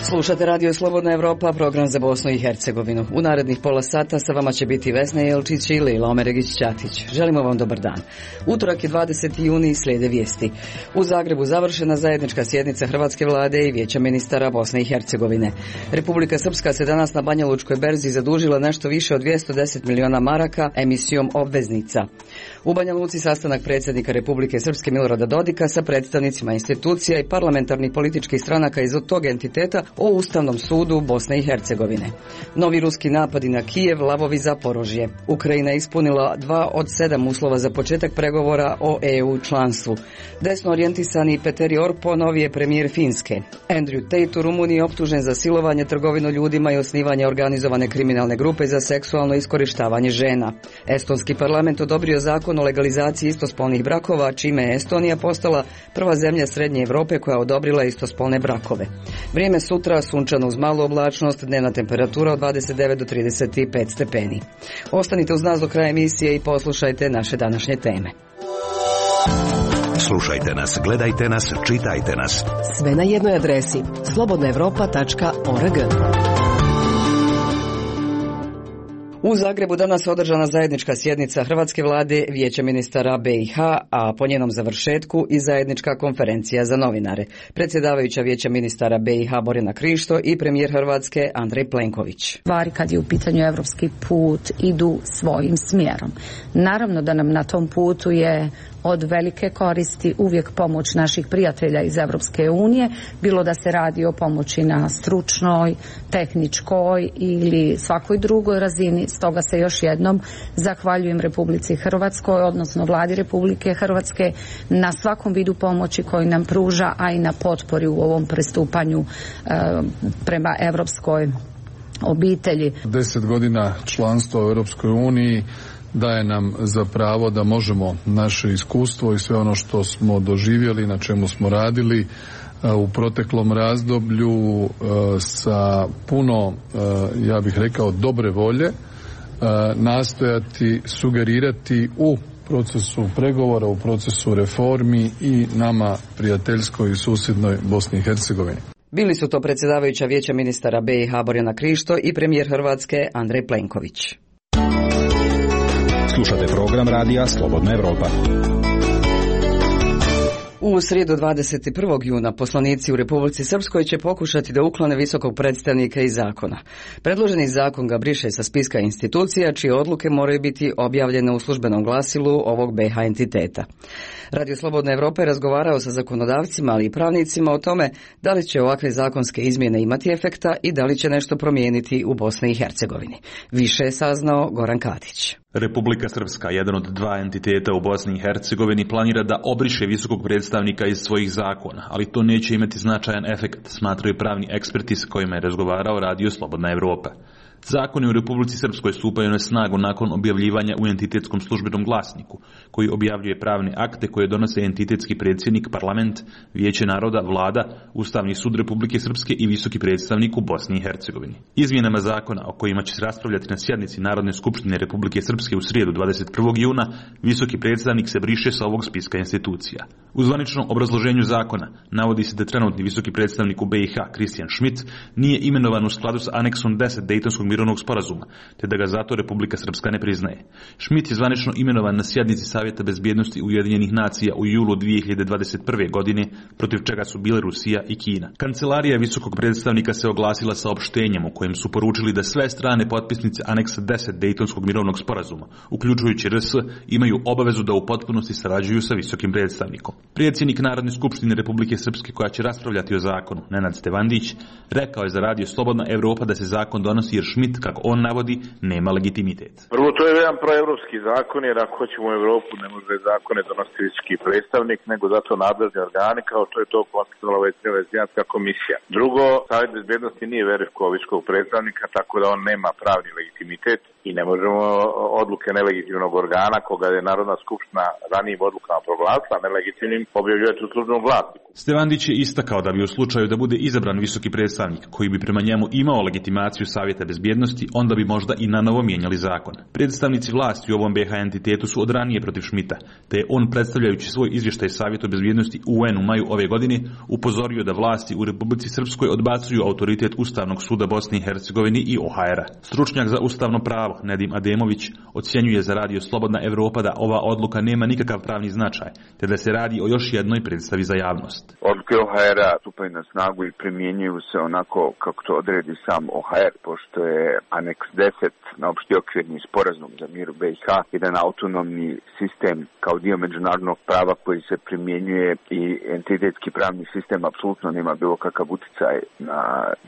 Slušate Radio Slobodna Evropa, program za Bosnu i Hercegovinu. U narednih pola sata sa vama će biti Vesna Jelčić i Lila Omeregić-Ćatić. Želimo vam dobar dan. Utorak je 20. juni i slijede vijesti. U Zagrebu završena zajednička sjednica Hrvatske vlade i Vijeća ministara Bosne i Hercegovine. Republika Srpska se danas na Banja Lučkoj berzi zadužila nešto više od 210 miliona maraka emisijom obveznica. U Banja Luci sastanak predsjednika Republike Srpske Milorada Dodika sa predstavnicima institucija i parlamentarnih političkih stranaka iz tog entiteta o Ustavnom sudu Bosne i Hercegovine. Novi ruski napadi na Kijev, lavovi Zaporožje. Ukrajina je ispunila 2 od 7 uslova za početak pregovora o EU članstvu. Desno orijentisani Petteri Orpo novi je premijer Finske. Andrew Tate u Rumuniji optužen za silovanje, trgovinu ljudima i osnivanje organizovane kriminalne grupe za seksualno iskorištavanje žena. Estonski parlament odobrio zakon o legalizaciji istospolnih brakova, čime je Estonija postala prva zemlja Srednje Europe koja odobrila istospolne brakove. Vrijeme sutra sunčano uz malu oblačnost, dnevna temperatura od 29 do 35 stepeni. Ostanite uz nas do kraja emisije i poslušajte naše današnje teme. Slušajte nas, gledajte nas, čitajte nas. Sve na jednoj adresi slobodnaevropa.org. U Zagrebu danas održana zajednička sjednica Hrvatske vlade, Vijeća ministara BiH, a po njenom završetku i zajednička konferencija za novinare. Predsjedavajuća Vijeća ministara BiH Borjana Krišto i premijer Hrvatske Andrej Plenković. Stvari kad je u pitanju evropski put idu svojim smjerom. Naravno da nam na tom putu je od velike koristi uvijek pomoć naših prijatelja iz Evropske unije, bilo da se radi o pomoći na stručnoj, tehničkoj ili svakoj drugoj razini. Stoga se još jednom zahvaljujem Republici Hrvatskoj, odnosno Vladi Republike Hrvatske na svakom vidu pomoći koji nam pruža, a i na potpori u ovom pristupanju prema evropskoj obitelji. 10 godina članstva u Europskoj uniji daje nam za pravo da možemo naše iskustvo i sve ono što smo doživjeli, na čemu smo radili u proteklom razdoblju sa puno, ja bih rekao, dobre volje, nastojati sugerirati u procesu pregovora, u procesu reformi i nama prijateljskoj i susjednoj Bosni i Hercegovini. Bili su to predsjedavajuća Vijeća ministara BiH Borjana Krišto i premijer Hrvatske Andrej Plenković. Slušate program radija Slobodna Evropa. U srijedu 21. juna poslanici u Republici Srpskoj će pokušati da uklone visokog predstavnika iz zakona. Predloženi zakon ga briše sa spiska institucija čije odluke moraju biti objavljene u službenom glasilu ovog BiH entiteta. Radio Slobodna Evropa je razgovarao sa zakonodavcima, ali i pravnicima o tome da li će ovakve zakonske izmjene imati efekta i da li će nešto promijeniti u Bosni i Hercegovini. Više je saznao Goran Katić. Republika Srpska, jedan od 2 entiteta u Bosni i Hercegovini, planira da obriše visokog predstavnika iz svojih zakona, ali to neće imati značajan efekt, smatraju pravni eksperti s kojima je razgovarao Radio Slobodna Evropa. Zakoni u Republici Srpskoj stupaju na snagu nakon objavljivanja u entitetskom službenom glasniku, koji objavljuje pravne akte koje donose entitetski predsjednik, parlament, Vijeće naroda, vlada, Ustavni sud Republike Srpske i visoki predstavnik u Bosni i Hercegovini. Izmjenama zakona o kojima će se raspravljati na sjednici Narodne skupštine Republike Srpske u srijedu 21. juna, visoki predstavnik se briše sa ovog spiska institucija. U zvaničnom obrazloženju zakona navodi se da trenutni visoki predstavnik u BiH, Christian Schmidt, nije imenovan u skladu s aneksom 10 Dejtonskog mirovnog sporazuma, te da ga zato Republika Srpska ne priznaje. Schmidt je zvanično imenovan na sjednici Savjeta bezbjednosti Ujedinjenih nacija u julu 2021. godine, protiv čega su bile Rusija i Kina. Kancelarija visokog predstavnika se oglasila saopštenjem u kojem su poručili da sve strane potpisnice aneksa 10 Dejtonskog mirovnog sporazuma, uključujući RS, imaju obavezu da u potpunosti sarađuju sa visokim predstavnikom. Predsjednik Narodne skupštine Republike Srpske, koja će raspravljati o zakonu, Nenad Stevandić, rekao je za Radio Slobodna Evropa da se zakon donosi jer Schmidt, kako on navodi, nema legitimitet. Prvo, to je jedan proevropski zakon, jer ako hoćemo u Evropu ne može zakone donositi visoki predstavnik, nego zato nadležni organi, kao što je to konstatovala Venecijanska komisija. Drugo, Savjet bezbjednosti nije verifikovao visokog predstavnika, tako da on nema pravni legitimitet i ne možemo odluke nelegitimnog organa, koga je Narodna skupština ranijim odlukama proglasila nelegitimnim, objavljivati u službenom glasniku. Stevandić je istakao da bi u slučaju da bude izabran visoki predstavnik koji bi prema njemu imao legitimaciju Savjeta bezbjednosti, onda bi možda i nanovo mijenjali zakon. Predstavnici vlasti u ovom BiH entitetu su od ranije protiv Schmidta, te je on predstavljajući svoj izvještaj Savjetu bezbjednosti UN u maju ove godine upozorio da vlasti u Republici Srpskoj odbacuju autoritet Ustavnog suda Bosne i Hercegovine i OHR-a. Stručnjak za ustavno pravo Nedim Ademović ocjenjuje za radio Slobodna Evropa da ova odluka nema nikakav pravni značaj, te da se radi o još jednoj predstavi za javnost. Odluke OHR-a stupaju na snagu i primjenjuju se onako kako to odredi sam OHR, pošto je aneks 10 na opšti okvirni sporazum za mir u BiH jedan autonomni sistem kao dio međunarodnog prava koji se primjenjuje i entitetski pravni sistem apsolutno nema bilo kakav utjecaj na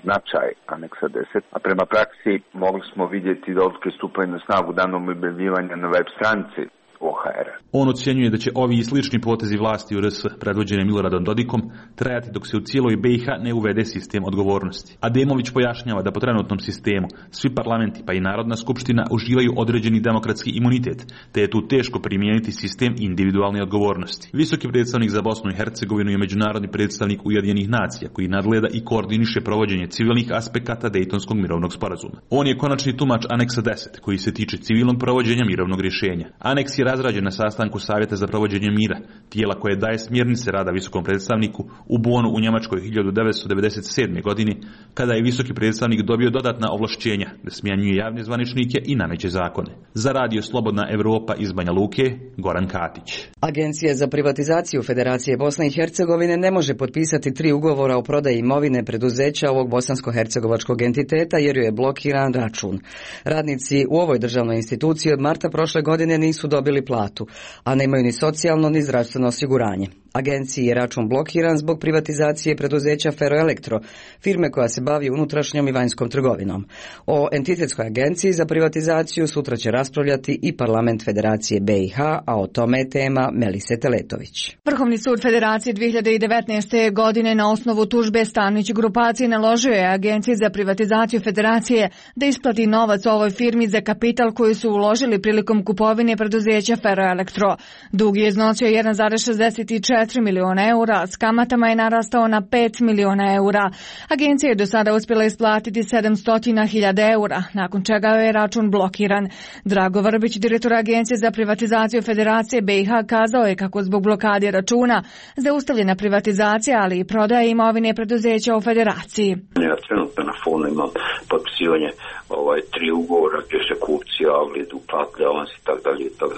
značaj aneksa 10. A prema praksi mogli smo vidjeti da odluke stupaju na snagu danom objavljivanja na web stranici OHR. On ocjenjuje da će ovi i slični potezi vlasti u RS predvođene Miloradom Dodikom trajati dok se u cijeloj BiH ne uvede sistem odgovornosti. Ademović pojašnjava da po trenutnom sistemu svi parlamenti pa i Narodna skupština uživaju određeni demokratski imunitet, te je tu teško primijeniti sistem individualne odgovornosti. Visoki predstavnik za Bosnu i Hercegovinu je međunarodni predstavnik Ujedinjenih nacija koji nadgleda i koordiniše provođenje civilnih aspekata Dejtonskog mirovnog sporazuma. On je konačni tumač aneksa 10 koji se tiče civilnog provođenja mirovnog rješenja. Aneks je razrađen na sastanku Savjeta za provođenje mira, tijela koje daje smjernice rada visokom predstavniku u Bonu u Njemačkoj 1997. godini, kada je visoki predstavnik dobio dodatna ovlašćenja da smjenjuje javne zvaničnike i nameće zakone. Za radio Slobodna Evropa iz Banja Luke, Goran Katić. Agencija za privatizaciju Federacije Bosne i Hercegovine ne može potpisati 3 ugovora o prodaji imovine preduzeća ovog bosansko-hercegovačkog entiteta jer joj je blokiran račun. Radnici u ovoj državnoj instituciji od marta prošle godine nisu dobili platu, a nemaju ni socijalno ni zdravstveno osiguranje. Agenciji je račun blokiran zbog privatizacije preduzeća Ferroelektro, firme koja se bavi unutrašnjom i vanjskom trgovinom. O entitetskoj agenciji za privatizaciju sutra će raspravljati i Parlament Federacije BiH, a o tome je tema Melise Teletović. Vrhovni sud Federacije 2019. godine na osnovu tužbe Stanić grupacije naložio je Agenciji za privatizaciju Federacije da isplati novac ovoj firmi za kapital koji su uložili prilikom kupovine preduzeća Ferroelektro. Dug je iznosio 1,64 miliona eura, s kamatama je narastao na 5 miliona eura. Agencija je do sada uspjela isplatiti 700.000 eura, nakon čega je račun blokiran. Drago Vrbić, direktor Agencije za privatizaciju Federacije BiH, kazao je kako zbog blokade računa zaustavljena privatizacija, ali i prodaja imovine preduzeća u Federaciji. Ja trenutno na fonu imam potpisivanje 3 ugovora gdje se kupci javili da uplatili avans i tako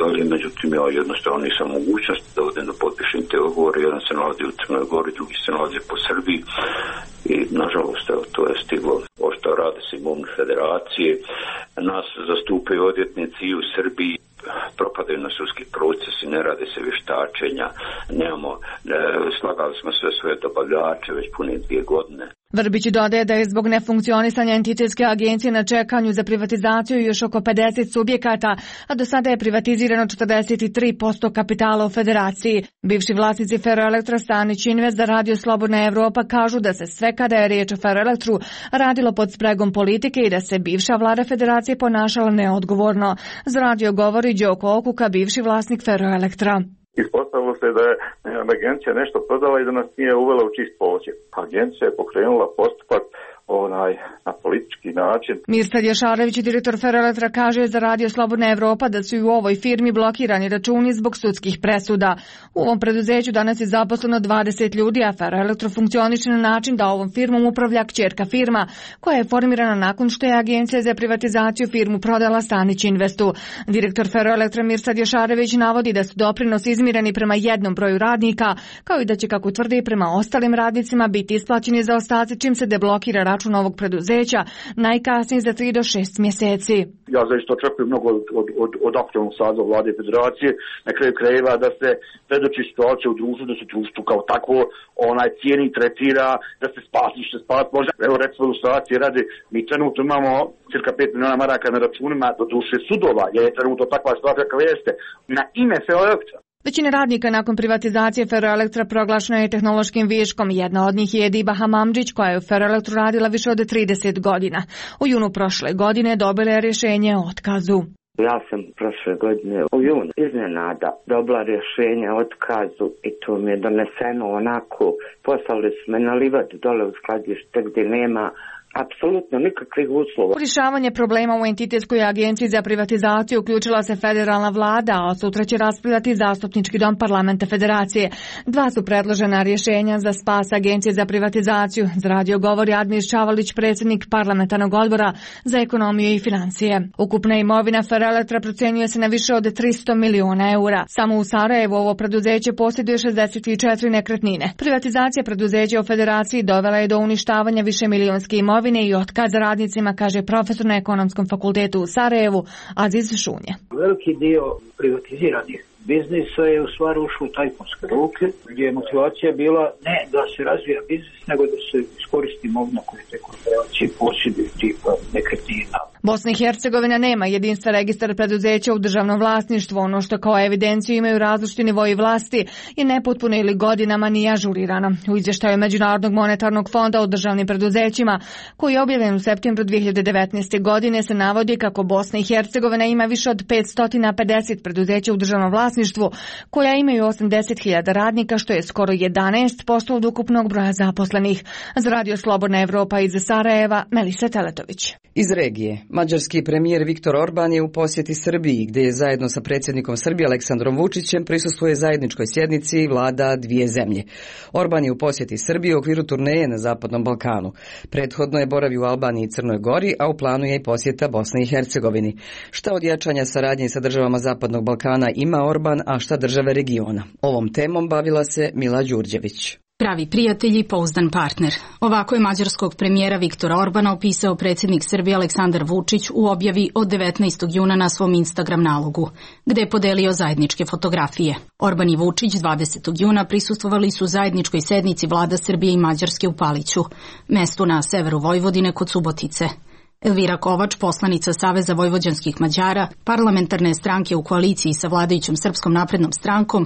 dalje. Međutim, ja jednostavno nisam mogućnost da odem da potpišem te ugovore. Jedan se nalazi u Crnoj Gori, drugi se nalazi po Srbiji i nažalost to je stiglo. Ošto rade se imovne federacije. Nas zastupaju odvjetnici i u Srbiji. Propadaju na sudski procesi, ne rade se vještačenja, slagali smo sve svoje dobavljače već pune 2 godine. Vrbić dodaje da je zbog nefunkcionisanja entitetske agencije na čekanju za privatizaciju još oko 50 subjekata, a do sada je privatizirano 43% kapitala u Federaciji. Bivši vlasnici Ferroelektra Stanić Invest za radio Slobodna Evropa kažu da se sve kada je riječ o Ferroelektru radilo pod spregom politike i da se bivša vlada Federacije ponašala neodgovorno. Za radio govori Đoko Okuka, bivši vlasnik Ferroelektra. Ispostavilo se da je agencija nešto prodala i da nas nije uvela u čist posjed. Agencija je pokrenula postupak na politički način. Mirsad Jašarević, direktor Ferroelektra, kaže za radio Slobodna Evropa da su i u ovoj firmi blokirani računi zbog sudskih presuda. U ovom preduzeću danas je zaposleno 20 ljudi, a Ferroelektro funkcioniše na način da ovom firmom upravlja kćerka firma, koja je formirana nakon što je Agencija za privatizaciju firmu prodala Stanić Investu. Direktor Ferroelektra Mirsad Jašarević navodi da su doprinosi izmireni prema jednom broju radnika, kao i da će, kako tvrdi, prema ostalim radnicima biti isplaćeni zaostaci čim se deblokira račun ovog preduzeća, najkasnije za 3 do 6 mjeseci. Ja zaista očekujem mnogo od aktualnog saziva vlade federacije, na kraju krajeva da se predoči situacija u društvu, da se društvo kao takvo cijeni, tretira, da se spasi što spasi može. Evo recimo ilustracije radi, mi trenutno imamo cirka 5 miliona maraka na računima do duše sudova, jer je trenutno takva situacija kakva jeste, na ime Ferroelektra. Većina radnika nakon privatizacije Ferroelektra proglašena je tehnološkim viškom. Jedna od njih je Ediba Hamamdžić, koja je u Ferroelektru radila više od 30 godina. U junu prošle godine dobila je rješenje o otkazu. Ja sam prošle godine u junu iznenada dobila rješenje o otkazu i to mi je doneseno onako, poslali su me na livadu dole u skladište gdje nema apsolutno nikakvih uslova. U rješavanje problema u entitetskoj agenciji za privatizaciju uključila se federalna vlada, a sutra će raspravljati zastupnički dom parlamenta federacije. Dva su predložena rješenja za spas agencije za privatizaciju. Za radio govori Admir Čavalić, predsjednik parlamentarnog odbora za ekonomiju i financije. Ukupna imovina Ferroelektra procenjuje se na više od 300 miliona eura. Samo u Sarajevu ovo preduzeće posjeduje 64 nekretnine. Privatizacija preduzeća u federaciji dovela je do uništavanja višemilionske imovine i otkaz radnicima, kaže profesor na Ekonomskom fakultetu u Sarajevu Aziz Šunje. Veliki dio privatiziranih biznisa je u stvari ušlo u tajkunske ruke, gdje je motivacija bila ne da se razvija biznis, nego da se iskoristi imovina koju te korporacije posjeduju, tipa nekretnina. Bosna i Hercegovina nema jedinstven registar preduzeća u državnom vlasništvu. Ono što kao evidenciju imaju različiti nivoji vlasti je nepotpuno ili godinama nije ažurirano. U izvještaju Međunarodnog monetarnog fonda o državnim preduzećima, koji je objavljen u septembru 2019. godine, se navodi kako Bosna i Hercegovina ima više od 550 preduzeća u državnom vlasništvu, koja imaju 80.000 radnika, što je skoro 11% od ukupnog broja zaposlenih. Za Radio Slobodna Evropa iz Sarajeva, Melisa Teletović. Iz regije, mađarski premijer Viktor Orban je u posjeti Srbiji, gdje je zajedno sa predsjednikom Srbije Aleksandrom Vučićem prisustvuje zajedničkoj sjednici vlada dvije zemlje. Orban je u posjeti Srbiji u okviru turneje na Zapadnom Balkanu. Prethodno je boravio u Albaniji i Crnoj Gori, a u planu je i posjeta Bosni i Hercegovini. Šta od jačanja saradnje sa državama Zapadnog Balkana ima Orban, a šta države regiona? Ovom temom bavila se Mila Đurđević. Pravi prijatelj i pouzdan partner. Ovako je mađarskog premijera Viktora Orbana opisao predsjednik Srbije Aleksandar Vučić u objavi od 19. juna na svom Instagram nalogu, gde je podelio zajedničke fotografije. Orban i Vučić 20. juna prisustvovali su zajedničkoj sednici vlada Srbije i Mađarske u Paliću, mestu na severu Vojvodine kod Subotice. Elvira Kovač, poslanica Saveza vojvođanskih Mađara, parlamentarne stranke u koaliciji sa vladajućom Srpskom naprednom strankom,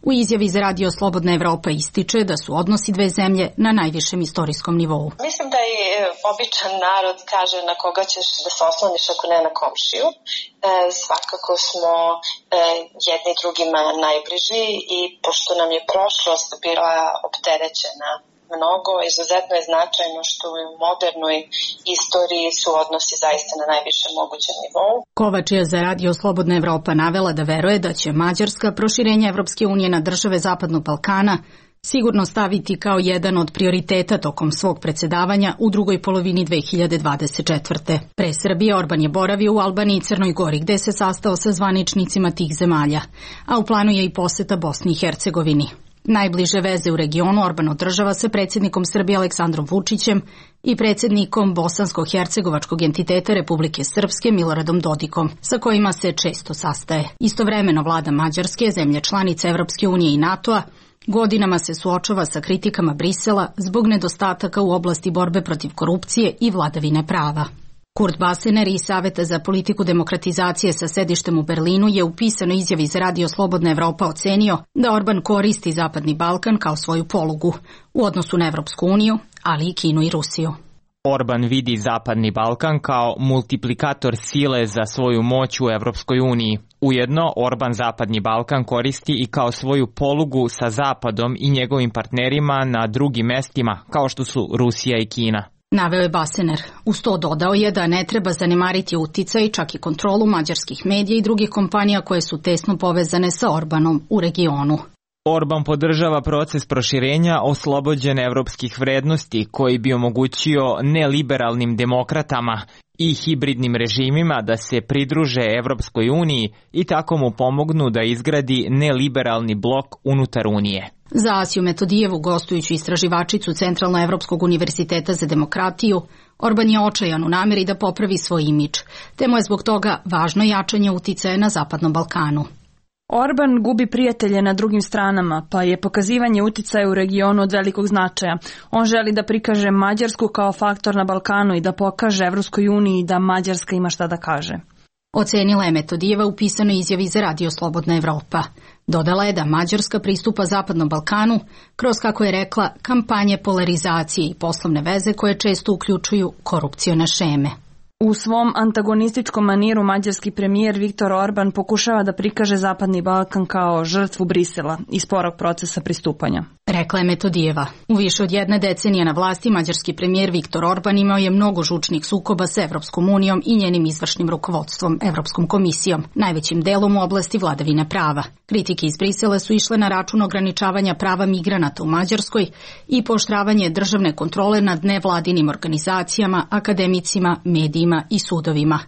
u izjavi za Radio Slobodna Evropa ističe da su odnosi dve zemlje na najvišem istorijskom nivou. Mislim da i običan narod kaže na koga ćeš da se osloniš ako ne na komšiju. Svakako smo jedni drugima najbliži i pošto nam je prošlost bila opterećena mnogo, izuzetno je značajno što u modernoj istoriji su odnosi zaista na najvišem mogućem nivou. Kovač je za Radio Slobodna Evropa navela da veruje da će Mađarska proširenje Evropske unije na države Zapadnog Balkana sigurno staviti kao jedan od prioriteta tokom svog predsjedavanja u drugoj polovini 2024. Pre Srbije Orban je boravio u Albaniji i Crnoj Gori, gde se sastao sa zvaničnicima tih zemalja, a u planu je i poseta Bosni i Hercegovini. Najbliže veze u regionu Orban održava sa predsjednikom Srbije Aleksandrom Vučićem i predsjednikom Bosansko-hercegovačkog entiteta Republike Srpske Miloradom Dodikom, sa kojima se često sastaje. Istovremeno vlada Mađarske, zemlje članice Evropske unije i NATO-a, godinama se suočava sa kritikama Brisela zbog nedostataka u oblasti borbe protiv korupcije i vladavine prava. Kurt Basener iz Saveta za politiku demokratizacije sa sedištem u Berlinu je u pisanoj izjavi za Radio Slobodna Evropa ocenio da Orban koristi Zapadni Balkan kao svoju polugu u odnosu na Evropsku uniju, ali i Kinu i Rusiju. Orban vidi Zapadni Balkan kao multiplikator sile za svoju moć u Evropskoj uniji. Ujedno, Orban Zapadni Balkan koristi i kao svoju polugu sa Zapadom i njegovim partnerima na drugim mestima, kao što su Rusija i Kina. Naveo je Basener. Uz to dodao je da ne treba zanemariti uticaj, čak i kontrolu mađarskih medija i drugih kompanija koje su tesno povezane sa Orbanom u regionu. Orban podržava proces proširenja oslobođene evropskih vrednosti koji bi omogućio neliberalnim demokratama i hibridnim režimima da se pridruže Evropskoj uniji i tako mu pomognu da izgradi neliberalni blok unutar Unije. Za Asiju Metodijevu, gostujuću istraživačicu Centralnoevropskog univerziteta za demokratiju, Orban je očajan u namjeri da popravi svoj imidž, te mu je zbog toga važno jačanje uticaja na Zapadnom Balkanu. Orban gubi prijatelje na drugim stranama, pa je pokazivanje uticaja u regionu od velikog značaja. On želi da prikaže Mađarsku kao faktor na Balkanu i da pokaže Evropskoj uniji da Mađarska ima šta da kaže. Ocenila je Metodijeva u pisanoj izjavi za Radio Slobodna Evropa. Dodala je da Mađarska pristupa Zapadnom Balkanu kroz, kako je rekla, kampanje polarizacije i poslovne veze koje često uključuju korupcione šeme. U svom antagonističkom maniru mađarski premijer Viktor Orban pokušava da prikaže Zapadni Balkan kao žrtvu Brisela i sporog procesa pristupanja. Rekla je Metodijeva. U više od jedne decenije na vlasti mađarski premijer Viktor Orban imao je mnogo žučnih sukoba s Evropskom unijom i njenim izvršnim rukovodstvom, Evropskom komisijom, najvećim delom u oblasti vladavine prava. Kritike iz Brisela su išle na račun ograničavanja prava migranata u Mađarskoj i pooštravanje državne kontrole nad nevladinim organizacijama, akademicima, medijima i sudovima.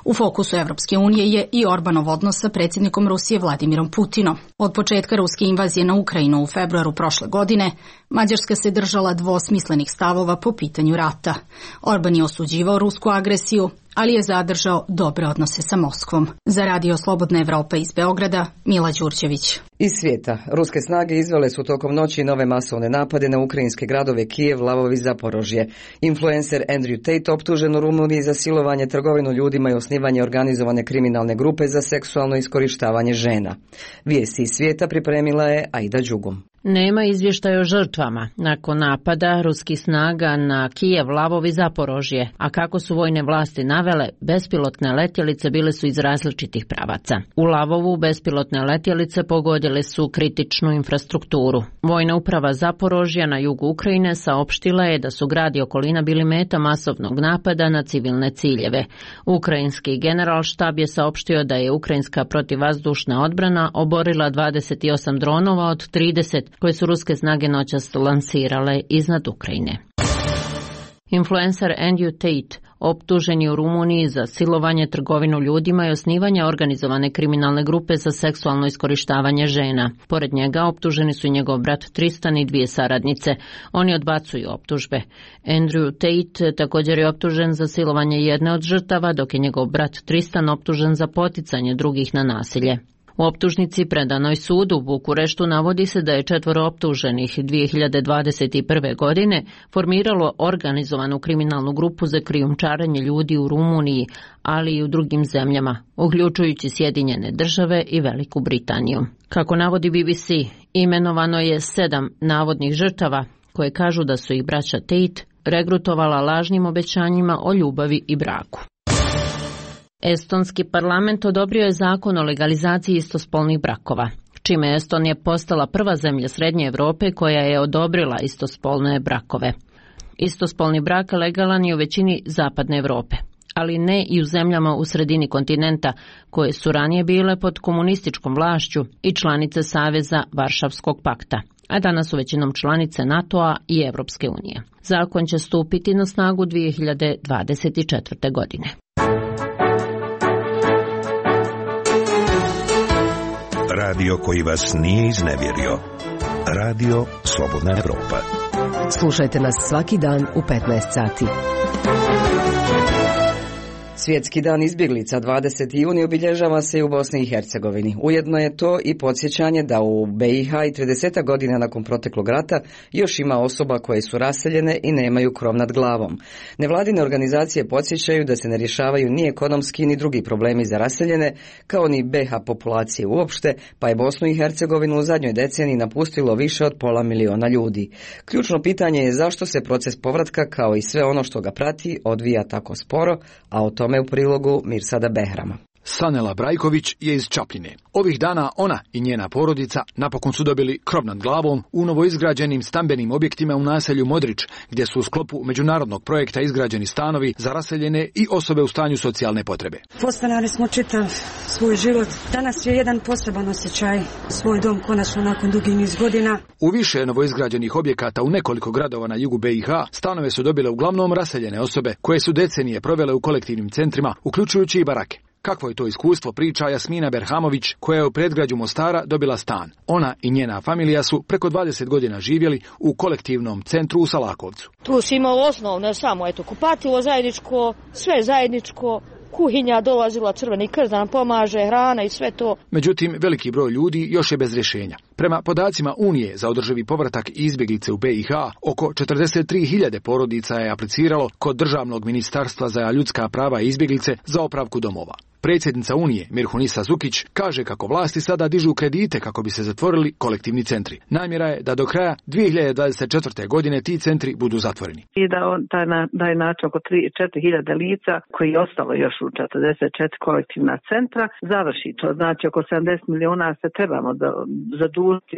U fokusu Evropske unije je i Orbanov odnos sa predsjednikom Rusije Vladimirom Putinom. Od početka ruske invazije na Ukrajinu u februaru prošle godine, Mađarska se držala dvosmislenih stavova po pitanju rata. Orban je osuđivao rusku agresiju, ali je zadržao dobre odnose sa Moskvom. Za Radio Slobodna Evropa iz Beograda, Mila Đurđević. Iz svijeta, ruske snage izvele su tokom noći nove masovne napade na ukrajinske gradove Kijev, Lvov i Zaporožje. Influencer Andrew Tate optužen u Rumuniji za silovanje, trgovinu ljudima i osnivanje organizovane kriminalne grupe za seksualno iskorištavanje žena. Vijesti iz svijeta pripremila je Aida Đugum. Nema izvještaja o žrtvama nakon napada ruskih snaga na Kijev, Lvov i Zaporožje, a kako su vojne vlasti navele, bespilotne letjelice bile su iz različitih pravaca. U Lvovu bespilotne letjelice pogodile su kritičnu infrastrukturu. Vojna uprava Zaporožja na jugu Ukrajine saopštila je da su grad i okolina bili meta masovnog napada na civilne ciljeve. Ukrajinski generalštab je saopštio da je ukrajinska protivvazdušna odbrana oborila 28 dronova od 30 koje su ruske snage noćas lansirale iznad Ukrajine. Influencer Andrew Tate optužen je u Rumuniji za silovanje, trgovinu ljudima i osnivanje organizovane kriminalne grupe za seksualno iskorištavanje žena. Pored njega optuženi su i njegov brat Tristan i 2 saradnice. Oni odbacuju optužbe. Andrew Tate također je optužen za silovanje jedne od žrtava, dok je njegov brat Tristan optužen za poticanje drugih na nasilje. U optužnici predanoj sudu u Bukureštu navodi se da je 4 optuženih 2021. godine formiralo organizovanu kriminalnu grupu za krijumčarenje ljudi u Rumuniji, ali i u drugim zemljama, uključujući Sjedinjene Države i Veliku Britaniju. Kako navodi BBC, imenovano je 7 navodnih žrtava koje kažu da su ih braća Tate regrutovala lažnim obećanjima o ljubavi i braku. Estonski parlament odobrio je zakon o legalizaciji istospolnih brakova, čime je Estonija postala prva zemlja Srednje Europe koja je odobrila istospolne brakove. Istospolni brak legalan je u većini Zapadne Europe, ali ne i u zemljama u sredini kontinenta koje su ranije bile pod komunističkom vlašću i članice Saveza Varšavskog pakta, a danas su većinom članice NATO-a i Evropske unije. Zakon će stupiti na snagu 2024. godine. Radio koji vas nije iznevjerio. Radio Slobodna Evropa. Slušajte nas svaki dan u 15 sati. Svjetski dan izbjeglica 20. juni obilježava se i u Bosni i Hercegovini. Ujedno je to i podsjećanje da u BiH i 30 godina nakon proteklog rata još ima osoba koje su raseljene i nemaju krov nad glavom. Nevladine organizacije podsjećaju da se ne rješavaju ni ekonomski ni drugi problemi za raseljene, kao ni BiH populacije uopšte, pa je Bosnu i Hercegovinu u zadnjoj deceniji napustilo više od 500.000 ljudi. Ključno pitanje je zašto se proces povratka, kao i sve ono što ga prati, odvija tako sporo, a o tome u prilogu Mirsada Behrama. Sanela Brajković je iz Čapljine. Ovih dana ona i njena porodica napokon su dobili krov nad glavom u novoizgrađenim stambenim objektima u naselju Modrić, gdje su u sklopu međunarodnog projekta izgrađeni stanovi za raseljene i osobe u stanju socijalne potrebe. Postanali smo čitav svoj život. Danas je jedan poseban osjećaj. Svoj dom konačno nakon dugi niz godina. U više novoizgrađenih objekata u nekoliko gradova na jugu BiH stanove su dobile uglavnom raseljene osobe koje su decenije provele u kolektivnim centrima, uključujući i barake. Kakvo je to iskustvo, priča Jasmina Berhamović, koja je u predgrađu Mostara dobila stan. Ona i njena familija su preko 20 godina živjeli u kolektivnom centru u Salakovcu. Tu si imao osnovno samo kupatilo zajedničko, sve zajedničko, kuhinja, dolazila Crveni krst da nam pomaže, hrana i sve to. Međutim, veliki broj ljudi još je bez rješenja. Prema podacima Unije za održivi povratak i izbjeglice u BiH, oko 43.000 porodica je apliciralo kod Državnog ministarstva za ljudska prava i izbjeglice za opravku domova. Predsjednica Unije, Mirhunisa Zukić, kaže kako vlasti sada dižu kredite kako bi se zatvorili kolektivni centri. Namjera je da do kraja 2024. godine ti centri budu zatvoreni. I da on taj način oko 3-4.000 lica koji je ostalo još u 44 kolektivna centra završi. To znači oko 70 milijuna se trebamo zadužiti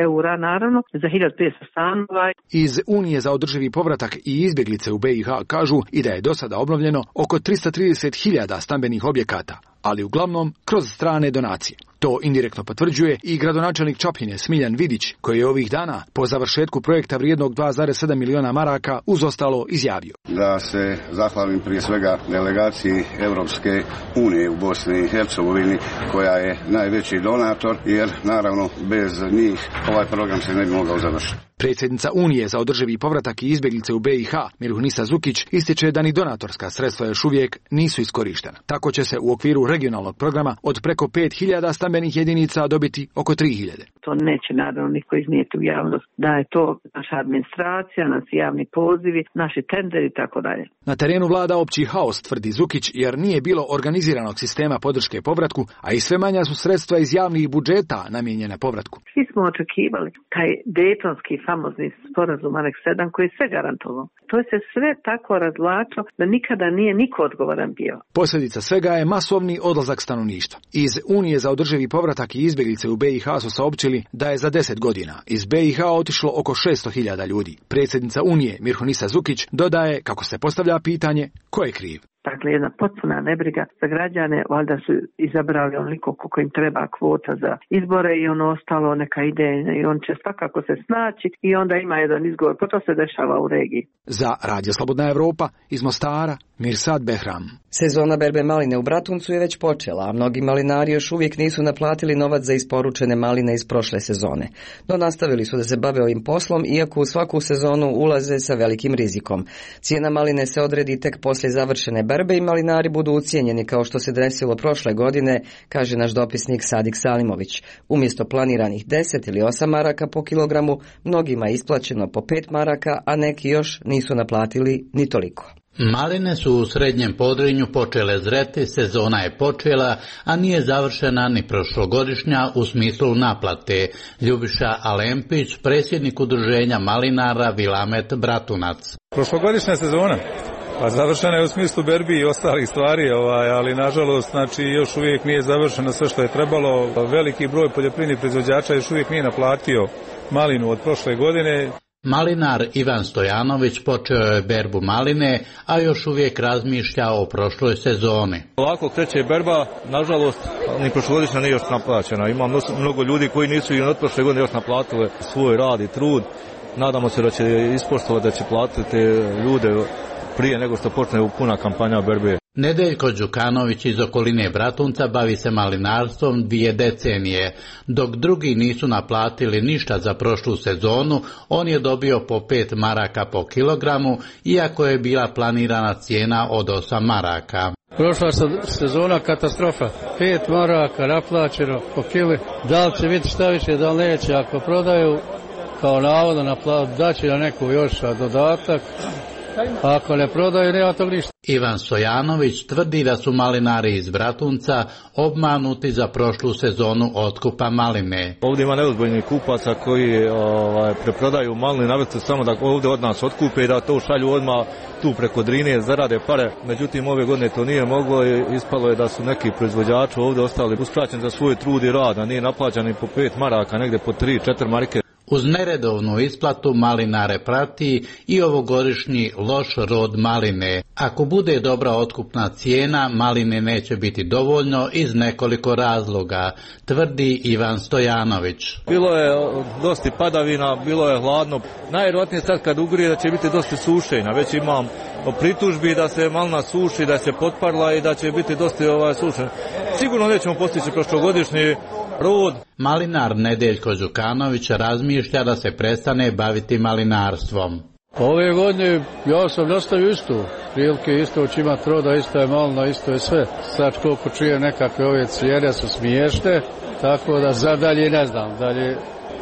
eura naravno za 1500 stanova. Iz Unije za održivi povratak i izbjeglice u BiH kažu i da je do sada obnovljeno oko 330.000 stambenih objekata, ali uglavnom kroz strane donacije. To indirektno potvrđuje i gradonačelnik Čapljine Smiljan Vidić, koji je ovih dana po završetku projekta vrijednog 2,7 miliona maraka uz ostalo izjavio. Da se zahvalim prije svega delegaciji Europske unije u Bosni i Hercegovini, koja je najveći donator, jer naravno bez njih ovaj program se ne bi mogao završiti. Predsjednica Unije za održivi povratak i izbjeglice u BiH, Mirhunisa Zukić, ističe da ni donatorska sredstva još uvijek nisu iskorištena. Tako će se u okviru regionalnog programa od preko 5.000 stambenih jedinica dobiti oko 3.000. To neće naravno niko iznijeti u javnost, da je to naša administracija, naši javni pozivi, naši tenderi i tako dalje. Na terenu vlada opći haos, tvrdi Zukić, jer nije bilo organiziranog sistema podrške povratku, a i sve manja su sredstva iz javnih budžeta namijenjena povratku. Svi smo očekivali taj dejtonski famozni sporazum Aneks 7 koji je sve garantovao. To se sve tako razvlačilo da nikada nije niko odgovoran bio. Posljedica svega je masovni odlazak stanovništva. Iz Unije za održivi povratak i izbjeglice u BiH su saopćili da je za 10 godina iz BiH otišlo oko 600.000 ljudi. Predsjednica Unije Mirhunisa Zukić dodaje kako se postavlja pitanje ko je kriv. Dakle, jedna potpuna nebriga za građane, valjda su izabrali onoliko koliko im treba kvota za izbore i ono ostalo neka ide i on će svakako se snaći i onda ima jedan izgovor, pa to se dešava u regiji. Za Radio Slobodna Evropa iz Mostara, Mirsad Behram. Sezona berbe maline u Bratuncu je već počela, a mnogi malinari još uvijek nisu naplatili novac za isporučene maline iz prošle sezone. No nastavili su da se bave ovim poslom, iako u svaku sezonu ulaze sa velikim rizikom. Cijena maline se odredi tek poslije završene berbe i malinari budu ucijenjeni kao što se desilo prošle godine, kaže naš dopisnik Sadik Salimović. Umjesto planiranih 10 ili 8 maraka po kilogramu, mnogima je isplaćeno po 5 maraka, a neki još nisu naplatili ni toliko. Maline su u Srednjem Podrinju počele zreti, sezona je počela, a nije završena ni prošlogodišnja u smislu naplate. Ljubiša Alempić, predsjednik udruženja malinara Vilamet Bratunac. Prošlogodišnja sezona pa završena je u smislu berbi i ostalih stvari, ali nažalost još uvijek nije završeno sve što je trebalo. Veliki broj poljoprivrednih proizvođača još uvijek nije naplatio malinu od prošle godine. Malinar Ivan Stojanović počeo je berbu maline, a još uvijek razmišlja o prošloj sezoni. Ovako kreće berba, nažalost, ni prošlogodišnja nije još naplaćena. Ima mnogo ljudi koji nisu i od prošle godine još naplatili svoj rad i trud. Nadamo se da će ispoštovati, da će platiti ljude prije nego što počne puna kampanja berbe. Nedeljko Đukanović iz okoline Bratunca bavi se malinarstvom 2 decenije. Dok drugi nisu naplatili ništa za prošlu sezonu, on je dobio po 5 maraka po kilogramu, iako je bila planirana cijena od 8 maraka. Prošla sezona katastrofa. 5 maraka naplaćeno po kili. Da li će biti šta više, da li neće? Ako prodaju, kao navodno daće na neku još dodatak. Ako ne prodaju, nema tog ništa. Ivan Stojanović tvrdi da su malinari iz Bratunca obmanuti za prošlu sezonu otkupa maline. Ovdje ima neozbiljnih kupaca koji preprodaju maline, navrstu samo da ovdje od nas otkupe i da to šalju odmah tu preko Drine, zarade pare. Međutim, ove godine to nije moglo i ispalo je da su neki proizvođači ovdje ostali uskraćeni za svoj trud i rad, a nije naplaćani po 5 maraka, negdje po 3-4 marke. Uz neredovnu isplatu malinare prati i ovogodišnji loš rod maline. Ako bude dobra otkupna cijena, maline neće biti dovoljno iz nekoliko razloga, tvrdi Ivan Stojanović. Bilo je dosta padavina, bilo je hladno. Najvjerojatnije sad kad ugrije da će biti dosta sušenja. Već imam pritužbi da se malina suši, da se potparla i da će biti dosta sušenja. Sigurno nećemo postići prošlogodišnji rod. Malinar Nedeljko Đukanović razmišlja da se prestane baviti malinarstvom. Ove godine ja sam nastavio isto. Prilike isto će imati roda, isto je malina, isto je sve. Sad koliko čuje nekakve ove cijene su smiješne, tako da za dalje ne znam. Dalje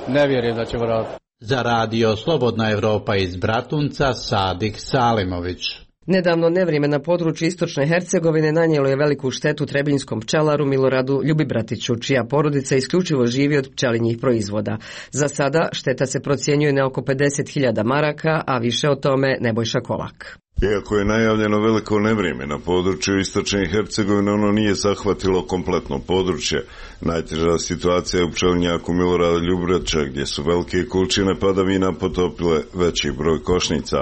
Ne vjerujem da će vratiti. Za radio Slobodna Evropa iz Bratunca, Sadik Salimović. Nedavno nevrijeme na području istočne Hercegovine nanijelo je veliku štetu trebinjskom pčelaru Miloradu Ljubibratiću, čija porodica isključivo živi od pčelinjih proizvoda. Za sada šteta se procjenjuje na oko 50.000 maraka, a više o tome Nebojša Kolak. Iako je najavljeno veliko nevrijeme na području istočne Hercegovine, ono nije zahvatilo kompletno područje. Najteža situacija je u pčelinjaku Milorada Ljubibratića, gdje su velike količine padavina potopile veći broj košnica.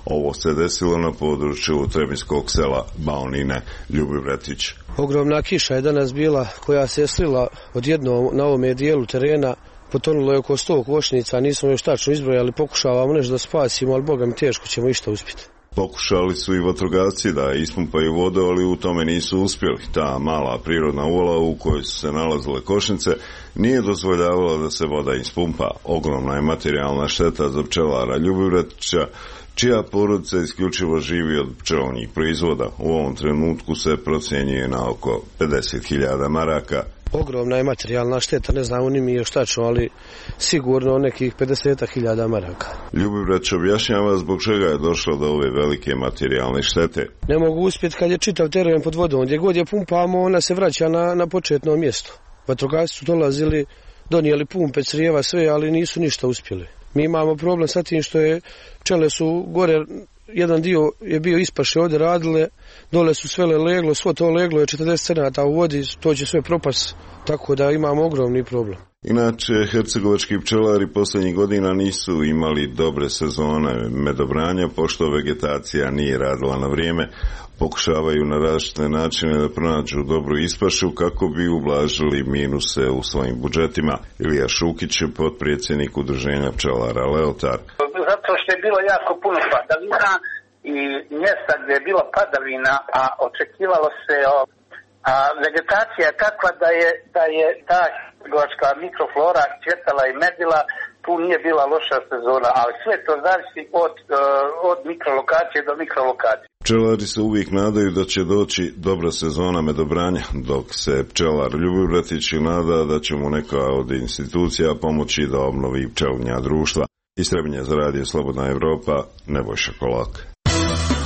Ovo se desilo na području trebinskog sela Baunine. Ljubibratić. Ogromna kiša je danas bila koja se je slila odjednom na ovome dijelu terena. Potonulo je oko 100 košnica, nismo još tačno izbrojali, pokušavamo nešto da spasimo, ali Boga mi teško ćemo išta uspjeti. Pokušali su i vatrogasci da ispumpaju vodu, ali u tome nisu uspjeli. Ta mala prirodna uvala u kojoj su se nalazile košnice nije dozvoljavala da se voda ispumpa. Ogromna je materijalna šteta za pčelara Ljubibratića, čija porodica isključivo živi od pčelinjih proizvoda. U ovom trenutku se procjenjuje na oko 50.000 maraka. Ogromna je materijalna šteta, ne znamo ni mi još tačno, ali sigurno nekih 50.000 maraka. Ljubibratić objašnjava zbog čega je došlo do ove velike materijalne štete. Ne mogu uspjeti kad je čitav teren pod vodom. Gdje god je pumpamo, ona se vraća na početno mjesto. Vatrogasci su dolazili, donijeli pumpe, crijeva, sve, ali nisu ništa uspjeli. Mi imamo problem sa tim što je pčele su gore, jedan dio je bio ispaše ovdje radile, dole su svele leglo, svo to leglo je 40 cm u vodi, to će sve propast, tako da imamo ogromni problem. Inače, hercegovački pčelari posljednjih godina nisu imali dobre sezone medobranja, pošto vegetacija nije radila na vrijeme. Pokušavaju na različite načine da pronađu dobru ispašu kako bi ublažili minuse u svojim budžetima. Ilija Šukić je potpredsjednik udruženja pčelara Leotar. Zato što je bilo jako puno padavina i mjesta gdje je bila padavina, a očekivalo se, a vegetacija je takva da je ta hercegovačka mikroflora cvjetala i medila, tu nije bila loša sezona, ali sve to zavisi od mikrolokacije do mikrolokacije. Pčelari se uvijek nadaju da će doći dobra sezona medobranja, dok se pčelar Ljubibratić nada da će mu neka od institucija pomoći da obnovi pčelinja društva. Iz Trebinja za radio Slobodna Evropa, Nebojša Kolak.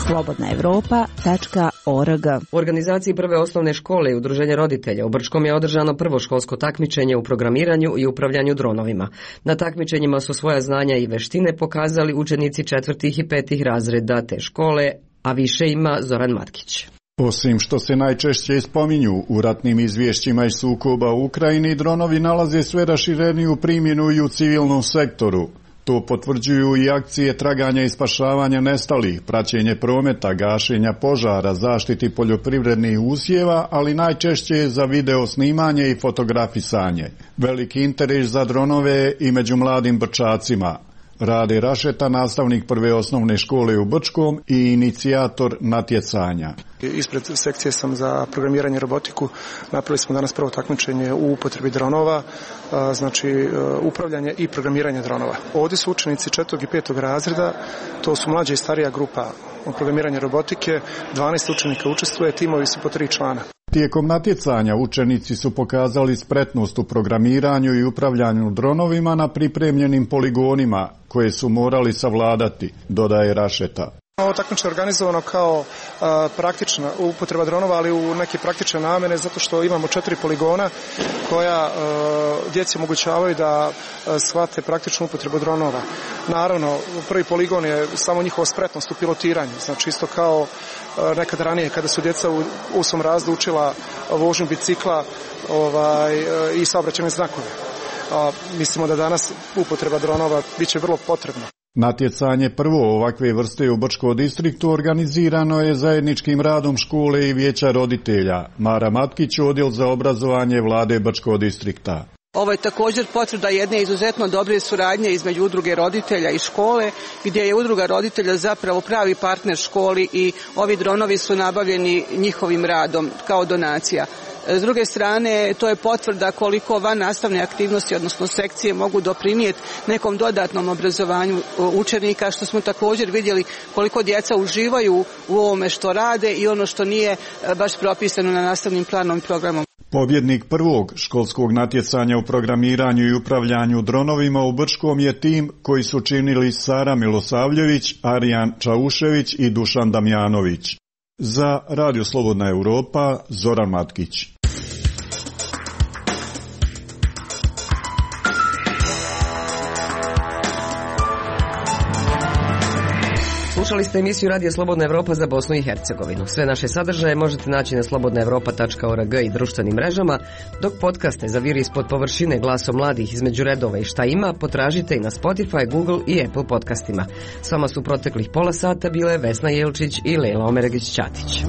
slobodnaevropa.org. U organizaciji prve osnovne škole i udruženja roditelja u Brčkom je održano prvo školsko takmičenje u programiranju i upravljanju dronovima. Na takmičenjima su svoja znanja i veštine pokazali učenici 4. i 5. razreda te škole, a više ima Zoran Matkić. Osim što se najčešće spominju u ratnim izvješćima iz sukoba u Ukrajini, dronovi nalaze sve rašireniju primjenu i u civilnom sektoru. To potvrđuju i akcije traganja i spašavanja nestalih, praćenje prometa, gašenja požara, zaštiti poljoprivrednih usjeva, ali najčešće za video snimanje i fotografisanje. Veliki interes za dronove i među mladim Brčacima. Rade Rašeta, nastavnik prve osnovne škole u Brčkom i inicijator natjecanja. Ispred sekcije sam za programiranje i robotiku. Napravili smo danas prvo takmičenje u upotrebi dronova, znači upravljanje i programiranje dronova. Ovdje su učenici 4. i 5. razreda, to su mlađa i starija grupa programiranja robotike, 12 učenika učestvuje, timovi su po 3 člana. Tijekom natjecanja učenici su pokazali spretnost u programiranju i upravljanju dronovima na pripremljenim poligonima koje su morali savladati, dodaje Rašeta. Ovo takmičenje je organizovano kao praktična upotreba dronova, ali u neke praktične namjene, zato što imamo 4 poligona koja djeci omogućavaju da shvate praktičnu upotrebu dronova. Naravno, prvi poligon je samo njihova spretnost u pilotiranju, znači isto kao nekad ranije kada su djeca u svom razredu učila vožnju bicikla i saobraćajne znakove. Mislimo da danas upotreba dronova biće vrlo potrebna. Natjecanje prvo ovakve vrste u Brčkom distriktu organizirano je zajedničkim radom škole i vijeća roditelja. Mara Matkić, odjel za obrazovanje vlade Brčkog distrikta. Ovo je također potvrda jedne izuzetno dobre suradnje između udruge roditelja i škole, gdje je udruga roditelja zapravo pravi partner školi i ovi dronovi su nabavljeni njihovim radom kao donacija. S druge strane, to je potvrda koliko van nastavne aktivnosti, odnosno sekcije, mogu doprinijeti nekom dodatnom obrazovanju učenika, što smo također vidjeli koliko djeca uživaju u ovome što rade i ono što nije baš propisano na nastavnim planom i programom. Pobjednik prvog školskog natjecanja u programiranju i upravljanju dronovima u Brčkom je tim koji su činili Sara Milosavljević, Arijan Čaušević i Dušan Damjanović. Za Radio Slobodna Europa, Zoran Matkić. Slušali ste emisiju Radija Slobodna Evropa za Bosnu i Hercegovinu. Sve naše sadržaje možete naći na slobodnaevropa.org i društvenim mrežama, dok podcaste za Vir ispod površine, Glasom mladih, Između redova i Šta ima potražite i na Spotify, Google i Apple podcastima. S vama su proteklih pola sata bile Vesna Jelčić i Lejla Omeregić-Ćatić.